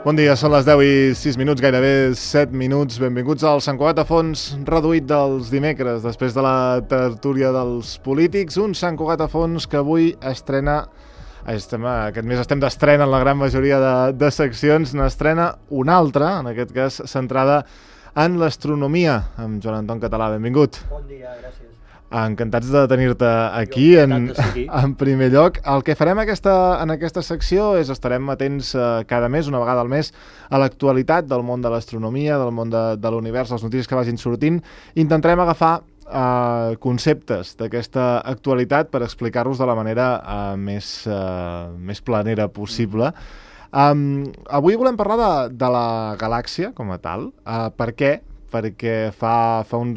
Bon dia, són les 10 i 6 minuts, gairebé 7 minuts. Benvinguts al Sant Cugat a fons reduït dels dimecres, després de la tertúlia dels polítics. Un Sant Cugat a fons que avui estrena, aquest mes estem d'estrena en la gran majoria de seccions, n'estrena una altra, en aquest cas centrada en l'astronomia, amb Joan Anton Català. Benvingut. Bon dia, gràcies. Encantats de tenir-te aquí en primer lloc. El que farem en aquesta secció és estarem atents cada mes, una vegada al mes, a l'actualitat del món de l'astronomia, del món de l'univers, les notícies que vagin sortint. Intentarem agafar conceptes d'aquesta actualitat per explicar-los de la manera més planera possible. Avui volem parlar de la galàxia com a tal. Per què? Perquè fa un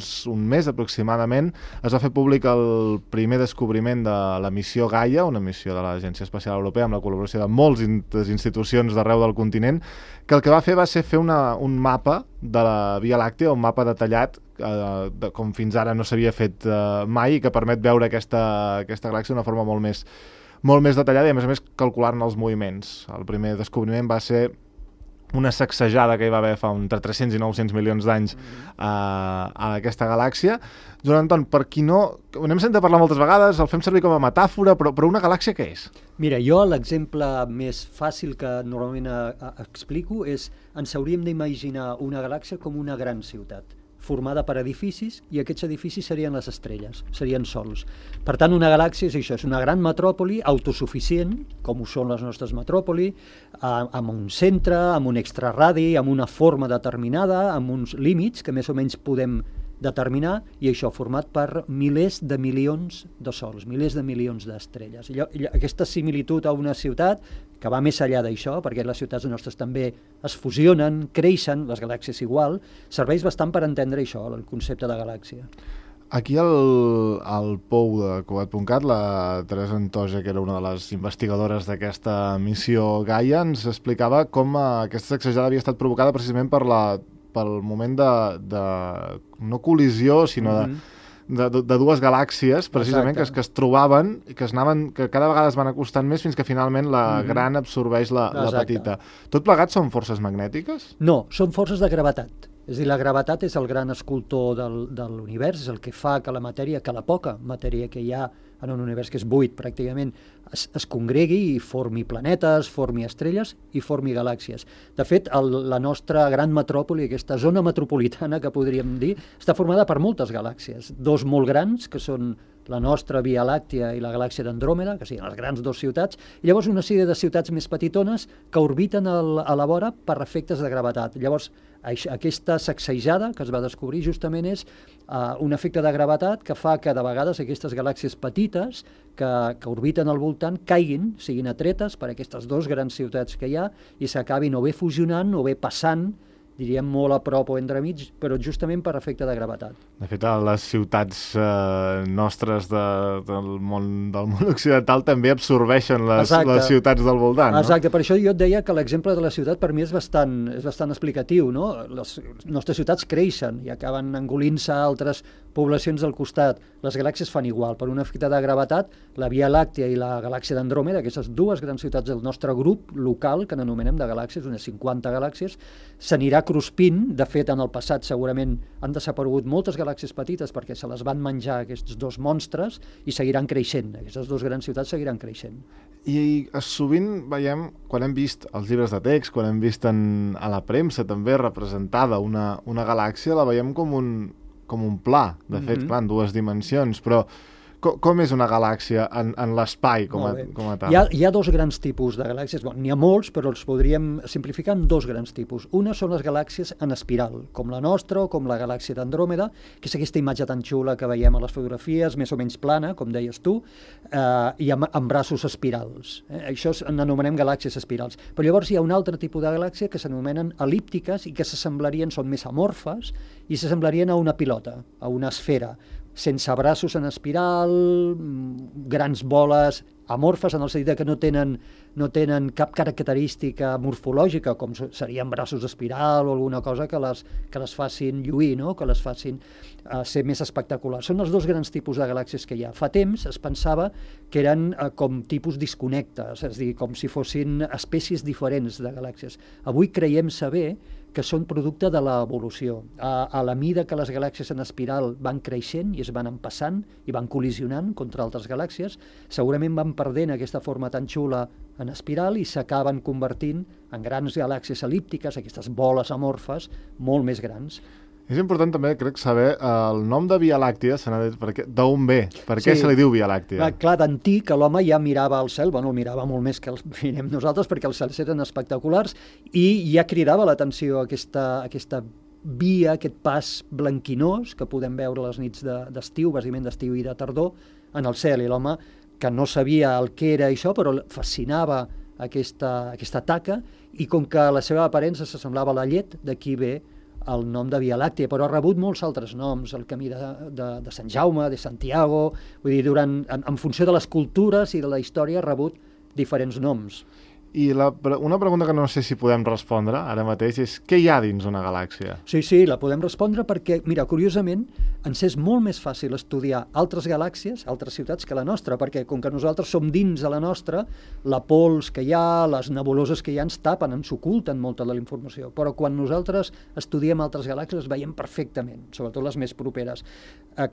mes aproximadament es va fer públic el primer descobriment de la missió Gaia, una missió de l'Agència Espacial Europea amb la col·laboració de moltes institucions d'arreu del continent, que el que va fer va ser fer un mapa de la Via Làctea, un mapa detallat com fins ara no s'havia fet mai i que permet veure aquesta galàxia d'una forma molt més detallada i a més calcular-ne els moviments. El primer descobriment va ser una sacsejada que hi va haver fa entre 300 i 900 milions d'anys a aquesta galàxia. Joan Anton, per qui no... N'hem sentit parlar moltes vegades, el fem servir com a metàfora, però una galàxia què és? Mira, jo l'exemple més fàcil que normalment explico és ens hauríem d'imaginar una galàxia com una gran ciutat, formada per edificis, i aquests edificis serien les estrelles, serien sols. Per tant, una galàxia és això, és una gran metròpoli autosuficient, com ho són les nostres metròpoli, amb un centre, amb un extraradi, amb una forma determinada, amb uns límits que més o menys podem determinar, i això format per milers de milions de sols, milers de milions d'estrelles. Aquesta similitud a una ciutat, que va més enllà d'això, perquè les ciutats nostres també es fusionen, creixen, les galàxies igual, serveix bastant per entendre això, el concepte de galàxia. Aquí al POU de Cugat.cat, la Teresa Antoja, que era una de les investigadores d'aquesta missió Gaia, ens explicava com aquesta sacsejada havia estat provocada precisament pel moment de no col·lisió, sinó de dues galàxies, precisament, que es trobaven i que cada vegada es van acostant més fins que finalment la gran absorbeix la petita. Tot plegat són forces magnètiques? No, són forces de gravetat. És a dir, la gravetat és el gran escultor de l'univers, és el que fa que la matèria, que la poca matèria que hi ha en un univers que és buit pràcticament, es congregui i formi planetes, formi estrelles i formi galàxies. De fet, la nostra gran metròpoli, aquesta zona metropolitana que podríem dir, està formada per moltes galàxies. Dos molt grans, que són la nostra Via Làctea i la galàxia d'Andròmeda, que siguin les grans dues ciutats, i llavors una sèrie de ciutats més petitones que orbiten a la vora per efectes de gravetat. Llavors, aquesta sacsejada que es va descobrir justament és un efecte de gravetat que fa que de vegades aquestes galàxies petites que orbiten al voltant caiguin, siguin atretes per aquestes dues grans ciutats que hi ha i s'acabin o bé fusionant o bé passant, diríem molt a prop o entremig, però justament per efecte de gravetat. De fet, a les ciutats nostres del món occidental també absorbeixen les ciutats del voltant, no? Exacte, per això jo et deia que l'exemple de la ciutat per mi és bastant explicatiu, no? Les nostres ciutats creixen i acaben engolint-se altres poblacions del costat. Les galàxies fan igual. Per un efecte de gravetat, la Via Làctea i la galàxia d'Andròmeda, aquestes dues grans ciutats del nostre grup local, que n'anomenem de galàxies, unes 50 galàxies, s'anirà cruspint. De fet, en el passat segurament han desaparegut moltes galàxies petites perquè se les van menjar aquests dos monstres i seguiran creixent. Aquestes dues grans ciutats seguiran creixent. I sovint veiem, quan hem vist els llibres de text, quan hem vist a la premsa també representada una galàxia, la veiem com un pla, de fet, clar, en dues dimensions, però com és una galàxia en l'espai com a tal? Hi ha dos grans tipus de galàxies, n'hi ha molts, però els podríem simplificar en dos grans tipus. Una són les galàxies en espiral, com la nostra o com la galàxia d'Andròmeda, que és aquesta imatge tan xula que veiem a les fotografies, més o menys plana, com deies tu, i amb braços espirals. Això n'anomenem galàxies espirals. Però llavors hi ha un altre tipus de galàxia que s'anomenen el·líptiques i que són més amorfes i s'assemblarien a una pilota, a una esfera, sense braços en espiral, grans boles amorfes en el sentit que no tenen cap característica morfològica, com serien braços d'espiral o alguna cosa que les facin lluir, no? Que les facin ser més espectaculars. Són els dos grans tipus de galàxies que hi ha. Fa temps es pensava que eren com tipus disconnectes, és a dir, com si fossin espècies diferents de galàxies. Avui creiem saber que són producte de l'evolució. A la mida que les galàxies en espiral van creixent i es van empassant i van col·lisionant contra altres galàxies, segurament van perdent aquesta forma tan xula en espiral i s'acaben convertint en grans galàxies elíptiques, aquestes boles amorfes molt més grans. És important també, crec, saber el nom de Via Làctia, d'on ve, per què se li diu Via Làctia? Clar, d'antic l'home ja mirava al cel, el mirava molt més que els mirem nosaltres perquè els cels eren espectaculars i ja cridava l'atenció aquesta via, aquest pas blanquinós que podem veure les nits d'estiu, bàsicament d'estiu i de tardor, en el cel. I l'home, que no sabia el que era això, però fascinava aquesta taca i com que la seva aparença s'assemblava a la llet, d'aquí ve el nom de Via Làctia, però ha rebut molts altres noms, el camí de Sant Jaume, de Santiago, vull dir, en funció de les cultures i de la història ha rebut diferents noms. I una pregunta que no sé si podem respondre ara mateix és què hi ha dins una galàxia? Sí, la podem respondre perquè, mira, curiosament, ens és molt més fàcil estudiar altres galàxies, altres ciutats, que la nostra, perquè com que nosaltres som dins de la nostra, la pols que hi ha, les nebuloses que hi ha ens tapen, ens oculten molta de la informació, però quan nosaltres estudiem altres galàxies les veiem perfectament, sobretot les més properes.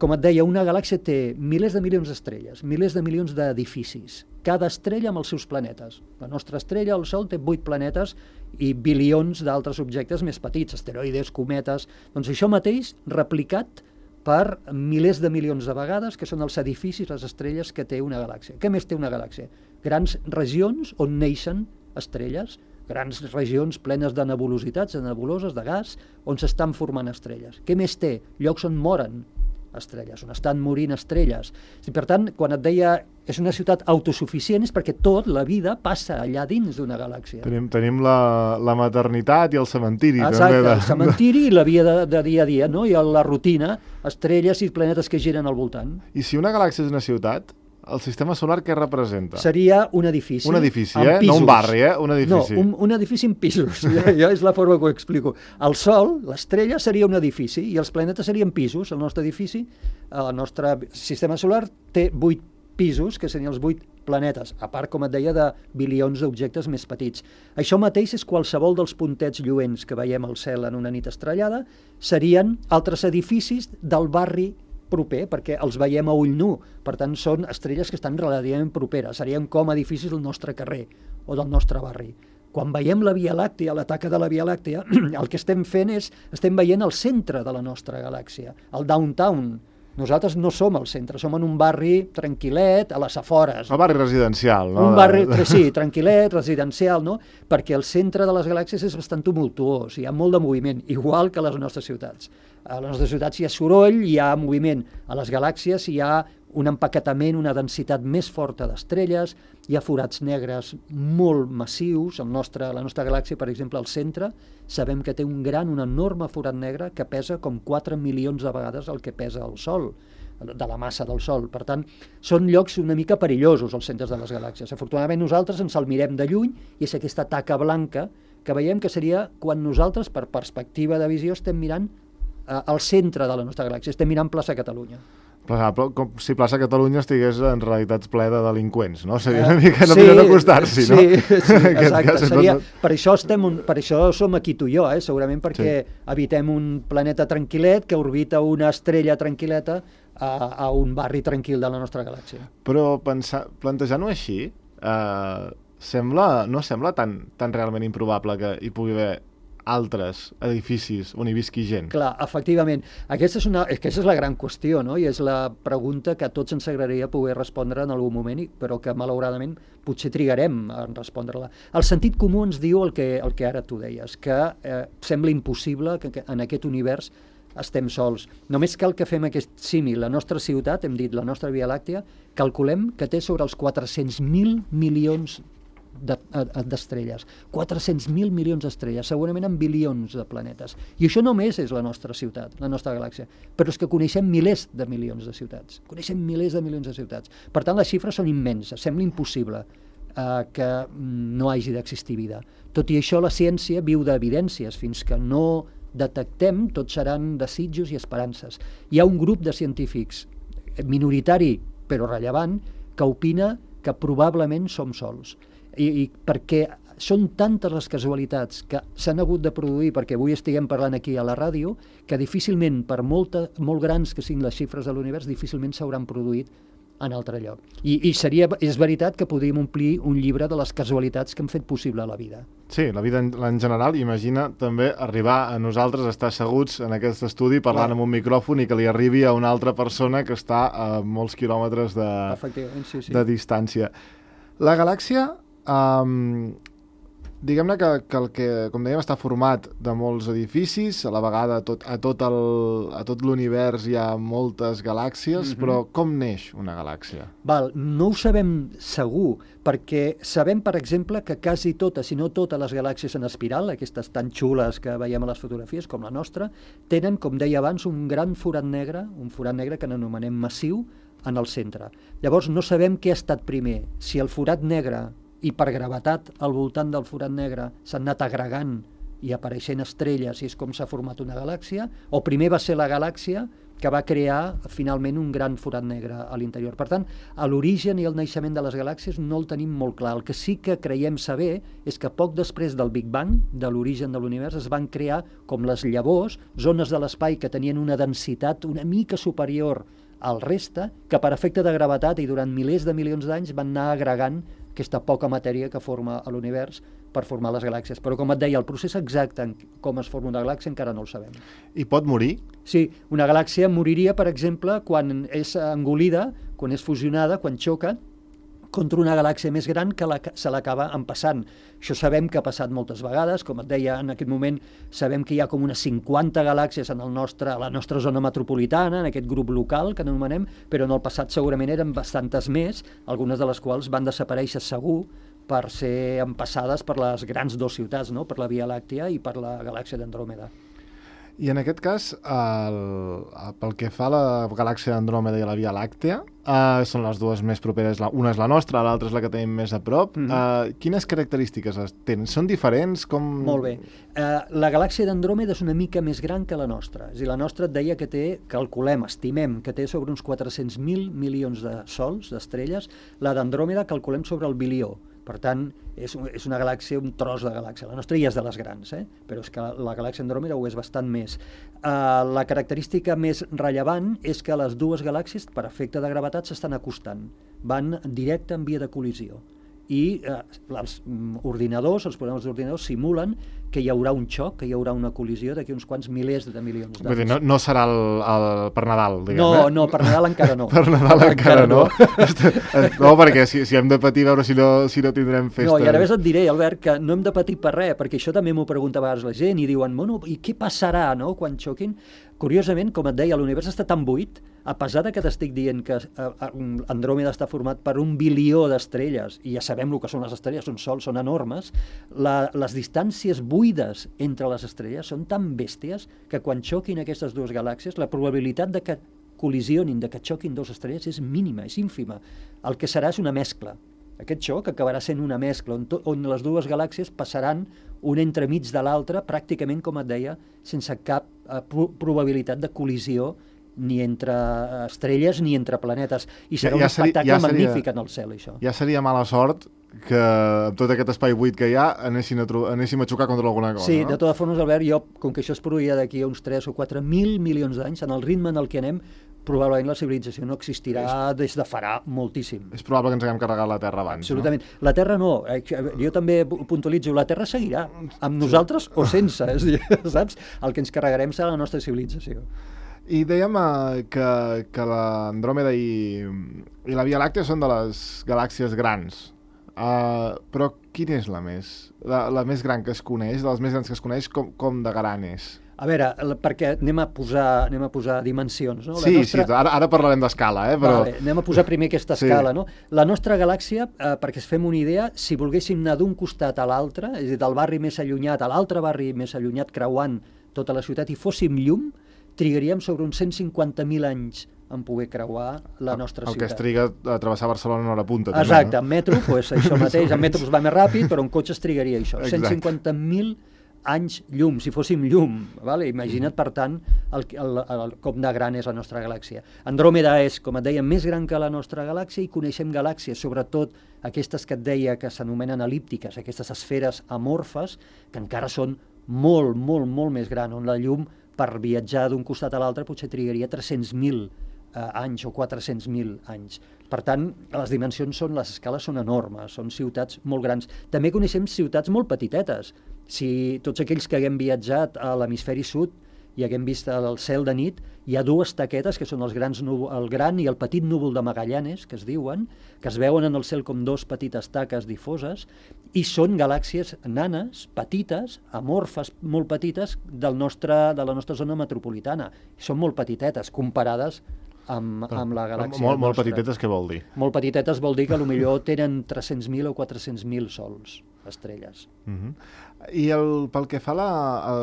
Com et deia, una galàxia té milers de milions d'estrelles, milers de milions d'edificis, cada estrella amb els seus planetes. La nostra estrella, el Sol, té 8 planetes i bilions d'altres objectes més petits, asteroides, cometes. Doncs això mateix replicat per milers de milions de vegades, que són els edificis, les estrelles que té una galàxia. Què més té una galàxia? Grans regions on neixen estrelles, grans regions plenes de nebulositats, de nebuloses, de gas, on s'estan formant estrelles. Què més té? Llocs on moren estrelles, on estan morint estrelles. I per tant, quan et deia és una ciutat autosuficient és perquè la vida passa allà dins d'una galàxia. Tenim la maternitat i el cementiri. Exacte, també el cementiri i la vida de dia a dia, no? I la rutina, estrelles i planetes que giren al voltant. I si una galàxia és una ciutat, el sistema solar què representa? Seria un edifici. Un edifici, no un barri, un edifici. No, un edifici en pisos, ja és la forma que ho explico. El Sol, l'estrella, seria un edifici i els planetes serien pisos. El nostre edifici, el nostre sistema solar té 8 pisos, que serien els 8 planetes, a part, com et deia, de bilions d'objectes més petits. Això mateix és qualsevol dels puntets lluents que veiem al cel en una nit estrellada, serien altres edificis del barri proper, perquè els veiem a ull nu, per tant són estrelles que estan relativament properes, serien com edificis del nostre carrer o del nostre barri. Quan veiem la Via Làctia, la taca de la Via Làctia, el que estem fent és, estem veient el centre de la nostra galàxia, el downtown. Nosaltres no som al centre, som en un barri tranquil·let, a les afores. El barri residencial, no? Un barri, sí, tranquil·let, residencial, no? Perquè el centre de les galàxies és bastant tumultuós, hi ha molt de moviment, igual que a les nostres ciutats. A les nostres ciutats hi ha soroll, hi ha moviment. A les galàxies hi ha un empaquetament, una densitat més forta d'estrelles, hi ha forats negres molt massius. La nostra galàxia, per exemple, al centre, sabem que té un enorme forat negre que pesa com 4 milions de vegades el que pesa el Sol, de la massa del Sol. Per tant, són llocs una mica perillosos, els centres de les galàxies. Afortunadament nosaltres ens el mirem de lluny i és aquesta taca blanca que veiem que seria quan nosaltres, per perspectiva de visió, estem mirant al centre de la nostra galàxia, estem mirant plaça Catalunya. Com si plaça Catalunya estigués en realitat ple de delinqüents, no? Seria una mica no millor acostar-s'hi, no? Sí, exacte. Per això som aquí tu i jo, segurament perquè habitem un planeta tranquil·let que orbita una estrella tranquil·leta a un barri tranquil de la nostra galàxia. Però plantejant-ho així, no sembla tan realment improbable que hi pugui haver altres edificis on hi visqui gent. Clar, efectivament. Aquesta és la gran qüestió, no? I és la pregunta que a tots ens agradaria poder respondre en algun moment, però que malauradament potser trigarem a respondre-la. El sentit comú ens diu el que ara tu deies, que sembla impossible que en aquest univers estem sols. Només cal que fem aquest símil. La nostra ciutat, hem dit, la nostra Via Làctia, calculem que té sobre els 400.000 milions d'estrelles. 400.000 milions d'estrelles, segurament en bilions de planetes. I això només és la nostra ciutat, la nostra galàxia. Però és que coneixem milers de milions de ciutats. Coneixem milers de milions de ciutats. Per tant, les xifres són immenses. Sembla impossible que no hagi d'existir vida. Tot i això, la ciència viu d'evidències. Fins que no detectem, tots seran desitjos i esperances. Hi ha un grup de científics minoritari, però rellevant, que opina que probablement som sols. I perquè són tantes les casualitats que s'han hagut de produir perquè avui estiguem parlant aquí a la ràdio, que difícilment, per molt grans que siguin les xifres de l'univers, difícilment s'hauran produït en altre lloc. És veritat que podríem omplir un llibre de les casualitats que han fet possible la vida. Sí, la vida en general. Imagina també arribar a nosaltres, estar asseguts en aquest estudi parlant amb un micròfon i que li arribi a una altra persona que està a molts quilòmetres de distància. La galàxia, diguem-ne que el que, com dèiem, està format de molts edificis, a la vegada a tot l'univers hi ha moltes galàxies, però com neix una galàxia? No ho sabem segur, perquè sabem, per exemple, que quasi totes, si no totes les galàxies en espiral, aquestes tan xules que veiem a les fotografies, com la nostra, tenen, com deia abans, un gran forat negre, que n'anomenem massiu, en el centre. Llavors no sabem què ha estat primer, si el forat negre i per gravetat al voltant del forat negre s'han anat agregant i apareixent estrelles i és com s'ha format una galàxia, o primer va ser la galàxia que va crear finalment un gran forat negre a l'interior. Per tant, l'origen i el naixement de les galàxies no el tenim molt clar. El que sí que creiem saber és que poc després del Big Bang, de l'origen de l'univers, es van crear com les llavors, zones de l'espai que tenien una densitat una mica superior al reste, que per efecte de gravetat i durant milers de milions d'anys van anar agregant aquesta poca matèria que forma l'univers per formar les galàxies. Però, com et deia, el procés exacte en com es forma una galàxia encara no el sabem. I pot morir? Sí, una galàxia moriria, per exemple, quan és engolida, quan és fusionada, quan xoca contra una galàxia més gran que se l'acaba empassant. Això sabem que ha passat moltes vegades, com et deia, en aquest moment sabem que hi ha com unes 50 galàxies a la nostra zona metropolitana, en aquest grup local que anomenem, però en el passat segurament eren bastantes més, algunes de les quals van desaparèixer segur per ser empassades per les grans dues ciutats, no? Per la Via Làctia i per la galàxia d'Andròmeda. I en aquest cas, pel que fa a la galàxia d'Andròmeda i a la Via Làctea, són les dues més properes, una és la nostra, l'altra és la que tenim més a prop. Quines característiques tenen? Són diferents? Molt bé. La galàxia d'Andròmeda és una mica més gran que la nostra. És a dir, la nostra et deia que estimem que té sobre uns 400.000 milions de sols, d'estrelles. La d'Andròmeda calculem sobre el bilió. Per tant, és una galàxia, un tros de galàxia. La nostra ja és de les grans, però és que la galàxia Andròmeda ho és bastant més. La característica més rellevant és que les dues galàxies, per efecte de gravetat, s'estan acostant. Van directe en via de col·lisió. I els programes d'ordinadors simulen que hi haurà un xoc, que hi haurà una col·lisió d'aquí uns quants milers de milions d'anys. Vull dir, no serà per Nadal, diguem. No, per Nadal encara no. Per Nadal encara no. No, perquè si hem de patir, veure si no tindrem festa. No, i ara més et diré, Albert, que no hem de patir per res, perquè això també m'ho pregunta a vegades la gent, i diuen, bueno, i què passarà, no?, quan xoquin? Curiosament, com et deia, l'univers està tan buit, a pesar que t'estic dient que Andròmeda està format per 1 bilió d'estrelles, i ja sabem el que són les estrelles, són sols, són enormes, les distàncies buides entre les estrelles són tan bèsties que quan xoquin aquestes dues galàxies, la probabilitat de que col·lisionin, de que xoquin dues estrelles és mínima, és ínfima. El que serà és una mescla. Aquest xoc acabarà sent una mescla on les dues galàxies passaran una entremig de l'altra, pràcticament, com et deia, sense cap probabilitat de col·lisió ni entre estrelles ni entre planetes. I serà un espectacle magnífic en el cel, això. Ja seria mala sort que amb tot aquest espai buit que hi ha anéssim a xocar contra alguna cosa. Sí, no? De totes formes, Albert, com que això es produirà d'aquí a uns 3 o 4.000 milions d'anys, en el ritme en el que anem, probablement la civilització no existirà des de farà moltíssim. És probable que ens haguem carregat la Terra abans. Absolutament. No? La Terra no. Jo també puntualitzo, la Terra seguirà, amb nosaltres o sense, saps? El que ens carregarem serà la nostra civilització. I dèiem que l'Andròmeda i la Via Làctea són de les galàxies grans. Però quina és la més gran que es coneix, de les més grans que es coneix, com de gran és? A veure, perquè anem a posar dimensions, no? Sí, ara parlarem d'escala, però... Vale, anem a posar primer aquesta escala, no? La nostra galàxia, perquè es fem una idea, si volguéssim anar d'un costat a l'altre, és a dir, del barri més allunyat a l'altre barri més allunyat, creuant tota la ciutat, i fóssim llum, trigaríem sobre uns 150.000 anys en poder creuar la nostra ciutat. El que es triga a travessar Barcelona en hora punta. Exacte, en metro, això mateix, en metro es va més ràpid, però en cotxe es trigaria això, 150.000 anys llum, si fóssim llum. Vale? Imagina't, per tant, com de gran és la nostra galàxia. Andròmeda és, com et deia, més gran que la nostra galàxia i coneixem galàxies, sobretot aquestes que et deia que s'anomenen elíptiques, aquestes esferes amorfes, que encara són molt, molt, molt més grans, on la llum, per viatjar d'un costat a l'altre, potser trigaria 300.000 anys o 400.000 anys. Per tant, les dimensions les escales són enormes, són ciutats molt grans. També coneixem ciutats molt petitetes. Si tots aquells que haguem viatjat a l'hemisferi sud i haguem vist el cel de nit, hi ha dues taquetes, que són el gran i el petit núvol de Magallanes, que es diuen, que es veuen en el cel com dos petites taques difoses, i són galàxies nanes, petites, amorfes, molt petites, de la nostra zona metropolitana. Són molt petitetes, comparades amb la galàxia nostra. Molt petitetes, què vol dir? Molt petitetes vol dir que potser tenen 300.000 o 400.000 sols, estrelles. I pel que fa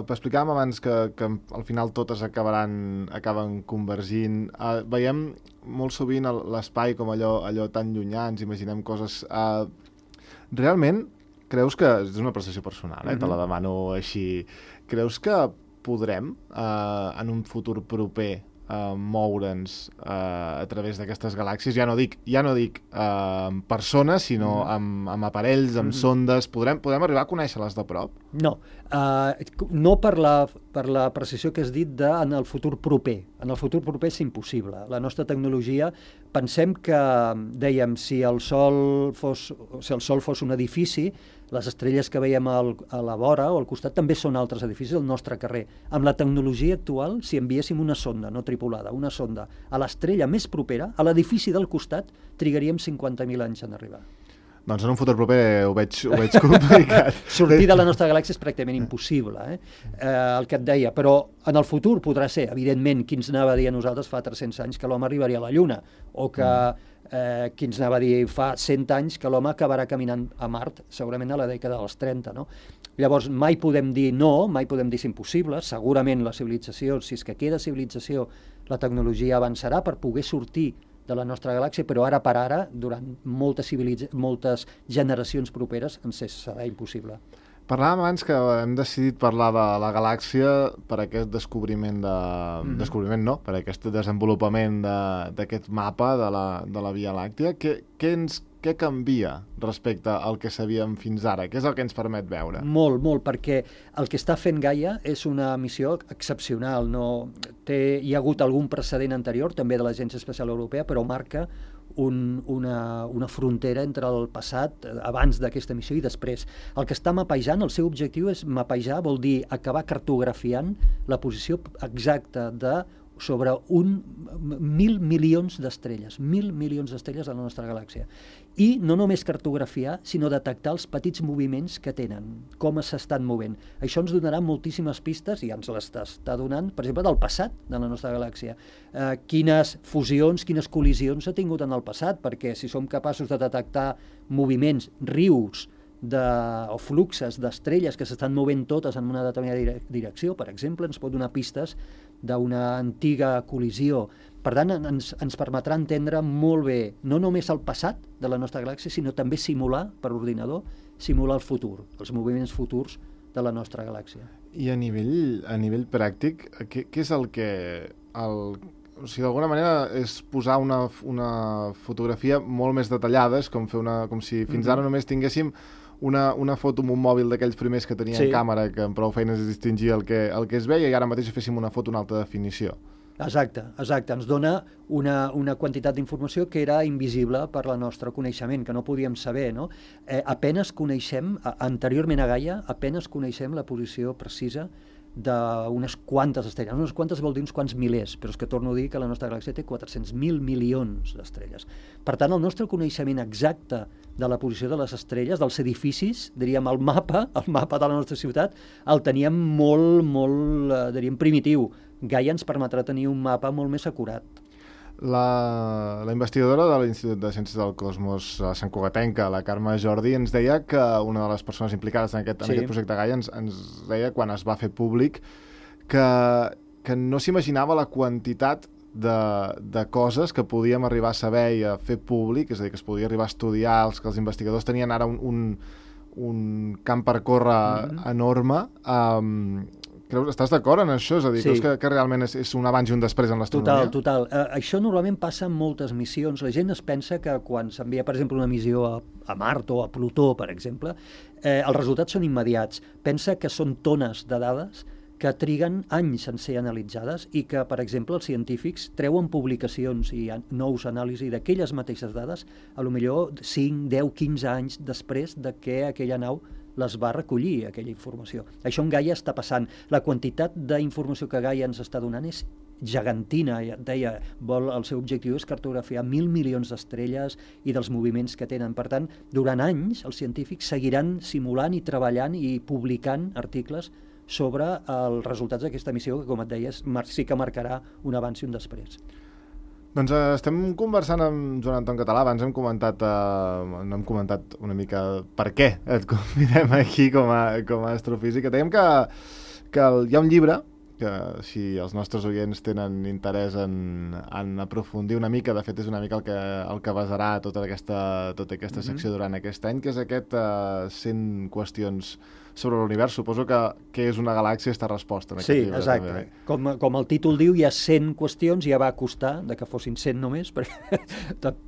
explicàvem abans que al final totes acaben convergint. Veiem molt sovint l'espai com allò tan llunyà, ens imaginem coses... Realment, creus que... És una percepció personal, te la demano així. Creus que podrem, en un futur proper, moure'ns a través d'aquestes galàxies? Ja no dic persones, sinó amb aparells, amb sondes. Podrem arribar a conèixer-les de prop? No, no per la precisió que has dit en el futur proper. En el futur proper és impossible. La nostra tecnologia, pensem que, dèiem, si el Sol fos un edifici, les estrelles que veiem a la vora o al costat també són altres edificis del nostre carrer. Amb la tecnologia actual, si enviéssim una sonda no tripulada, una sonda a l'estrella més propera, a l'edifici del costat, trigaríem 50.000 anys en arribar. Doncs en un futur proper ho veig complicat. Sortir de la nostra galàxia és pràcticament impossible, el que et deia, però en el futur podrà ser, evidentment, qui ens anava a dir a nosaltres fa 300 anys que l'home arribaria a la Lluna, o que qui ens anava a dir fa 100 anys que l'home acabarà caminant a Mart, segurament a la dècada dels 30, no? Llavors, mai podem dir no, mai podem dir és impossible, segurament la civilització, si és que queda civilització, la tecnologia avançarà per poder sortir de la nostra galàxia, però ara per ara, durant moltes generacions properes, ens serà impossible. Parlàvem abans que hem decidit parlar de la galàxia per aquest descobriment per aquest desenvolupament d'aquest mapa de la Via Làctia. Què canvia respecte al que sabíem fins ara? Què és el que ens permet veure? Molt, perquè el que està fent Gaia és una missió excepcional. Hi ha hagut algun precedent anterior, també de l'Agència Espacial Europea, però marca una frontera entre el passat, abans d'aquesta missió i després. El que està mapejant, el seu objectiu és mapejar, vol dir acabar cartografiant la posició exacta sobre 1.000 milions d'estrelles, 1.000 milions d'estrelles de la nostra galàxia. I no només cartografiar, sinó detectar els petits moviments que tenen, com s'estan movent. Això ens donarà moltíssimes pistes, i ens les està donant, per exemple, del passat de la nostra galàxia. Quines fusions, quines col·lisions ha tingut en el passat, perquè si som capaços de detectar moviments, rius, o fluxes d'estrelles que s'estan movent totes en una determinada direcció, per exemple, ens pot donar pistes d'una antiga col·lisió. Per tant, ens permetrà entendre molt bé, no només el passat de la nostra galàxia, sinó també simular, per ordinador, simular el futur, els moviments futurs de la nostra galàxia. I a nivell pràctic, què és el que... O sigui, d'alguna manera és posar una fotografia molt més detallada, és com si fins ara només tinguéssim una foto amb un mòbil d'aquells primers que tenien càmera, que amb prou feines es distingia el que es veia, i ara mateix féssim una foto en alta definició. Exacte. Ens dona una quantitat d'informació que era invisible per al nostre coneixement, que no podíem saber, no? Apenes coneixem, anteriorment a Gaia, apenes coneixem la posició precisa d'unes quantes estrelles. Unes quantes vol dir uns quants milers, però és que torno a dir que la nostra galàxia té 400.000 milions d'estrelles. Per tant, el nostre coneixement exacte de la posició de les estrelles, dels edificis, diríem, el mapa de la nostra ciutat, el teníem molt, diríem, primitiu. Gaia ens permetrà tenir un mapa molt més acurat. La investigadora de l'Institut de Ciències del Cosmos Sant Cugatenca, la Carme Jordi, ens deia que una de les persones implicades en aquest projecte Gaia ens deia, quan es va fer públic, que no s'imaginava la quantitat de coses que podíem arribar a saber i a fer públic, és a dir, que es podia arribar a estudiar, que els investigadors tenien ara un camp per córrer enorme. Estàs d'acord en això? És a dir, creus que realment és un abans i un després en l'astronomia? Total. Això normalment passa en moltes missions. La gent es pensa que quan s'envia, per exemple, una missió a Mart o a Plutó, per exemple, els resultats són immediats. Pensa que són tones de dades que triguen anys en ser analitzades i que, per exemple, els científics treuen publicacions i nous anàlisis d'aquelles mateixes dades, a lo millor 5, 10, 15 anys després de que aquella nau les va recollir, aquella informació. Això en Gaia està passant. La quantitat d'informació que Gaia ens està donant és gegantina. Deia, el seu objectiu és cartografiar 1.000 milions d'estrelles i dels moviments que tenen. Per tant, durant anys, els científics seguiran simulant i treballant i publicant articles sobre els resultats d'aquesta missió, que, com et deies, sí que marcarà un abans i un després. Doncs estem conversant amb Joan Anton Català. Abans hem comentat una mica per què et convidem aquí com a astrofísic. Dèiem que hi ha un llibre que, si els nostres oients tenen interès en aprofundir una mica, de fet és una mica el que basarà tota aquesta secció durant aquest any, que és aquest 100 qüestions sobre l'univers. Suposo que és una galàxia esta resposta en aquest llibre. Sí, exacte. Com el títol diu, hi ha 100 qüestions, ja va costar que fossin 100 només, perquè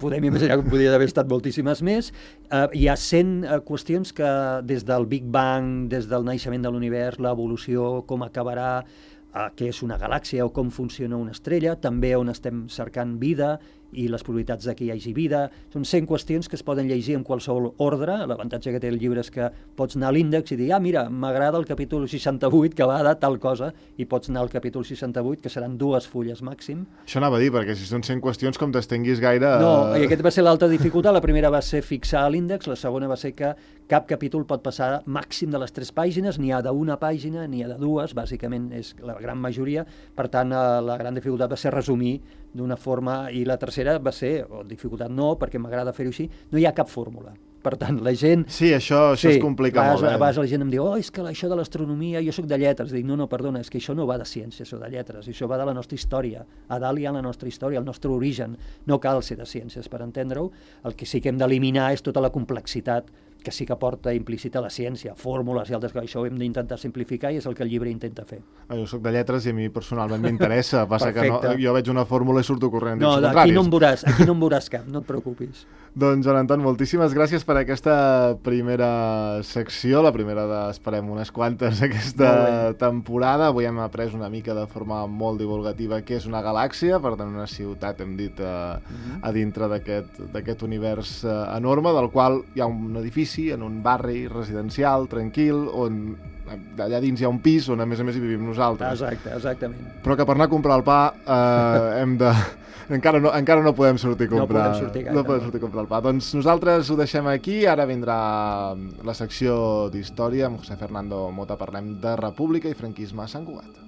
podem imaginar que podria haver estat moltíssimes més. Hi ha 100 qüestions que des del Big Bang, des del naixement de l'univers, l'evolució, com acabarà, què és una galàxia o com funciona una estrella, també on estem cercant vida i les probabilitats que hi hagi vida. Són 100 qüestions que es poden llegir en qualsevol ordre. L'avantatge que té el llibre és que pots anar a l'índex i dir, mira, m'agrada el capítol 68 que va de tal cosa, i pots anar al capítol 68, que seran 2 fulles màxim. Això anava a dir, perquè si són 100 qüestions, com t'estenguis gaire... No, i aquest va ser l'altra dificultat. La primera va ser fixar l'índex, la segona va ser que cap capítol pot passar màxim de les 3 pàgines, n'hi ha d'una pàgina, n'hi ha de 2, bàsicament és la gran majoria. Per tant, la gran dificultat va ser resumir d'una forma, i la tercera va ser, o dificultat no, perquè m'agrada fer-ho així, no hi ha cap fórmula. Per tant, la gent... Sí, això es complica molt. A vegades la gent em diu, és que això de l'astronomia, jo soc de lletres. Dic, no, perdona, és que això no va de ciències o de lletres, això va de la nostra història. A dalt hi ha la nostra història, el nostre origen. No cal ser de ciències per entendre-ho. El que sí que hem d'eliminar és tota la complexitat que sí que porta implícita la ciència, fórmules i altres coses. Això ho hem d'intentar simplificar i és el que el llibre intenta fer. Jo soc de lletres i a mi personalment m'interessa. Passa que jo veig una fórmula i surto corrent. No, aquí no em veuràs cap, no et preocupis. Doncs, Joan Anton, moltíssimes gràcies per aquesta primera secció, la primera esperem unes quantes aquesta temporada. Avui hem après una mica de forma molt divulgativa què és una galàxia, per tant una ciutat, hem dit, a dintre d'aquest univers enorme, del qual hi ha un edifici en un barri residencial, tranquil, on allà dins hi ha un pis on a més hi vivim nosaltres. Exactament. Però que per anar a comprar el pa encara no podem sortir a comprar. No podem sortir a comprar el pa. Doncs nosaltres ho deixem aquí, ara vindrà la secció d'història amb José Fernando Mota, parlem de República i franquisme a Sant Cugat.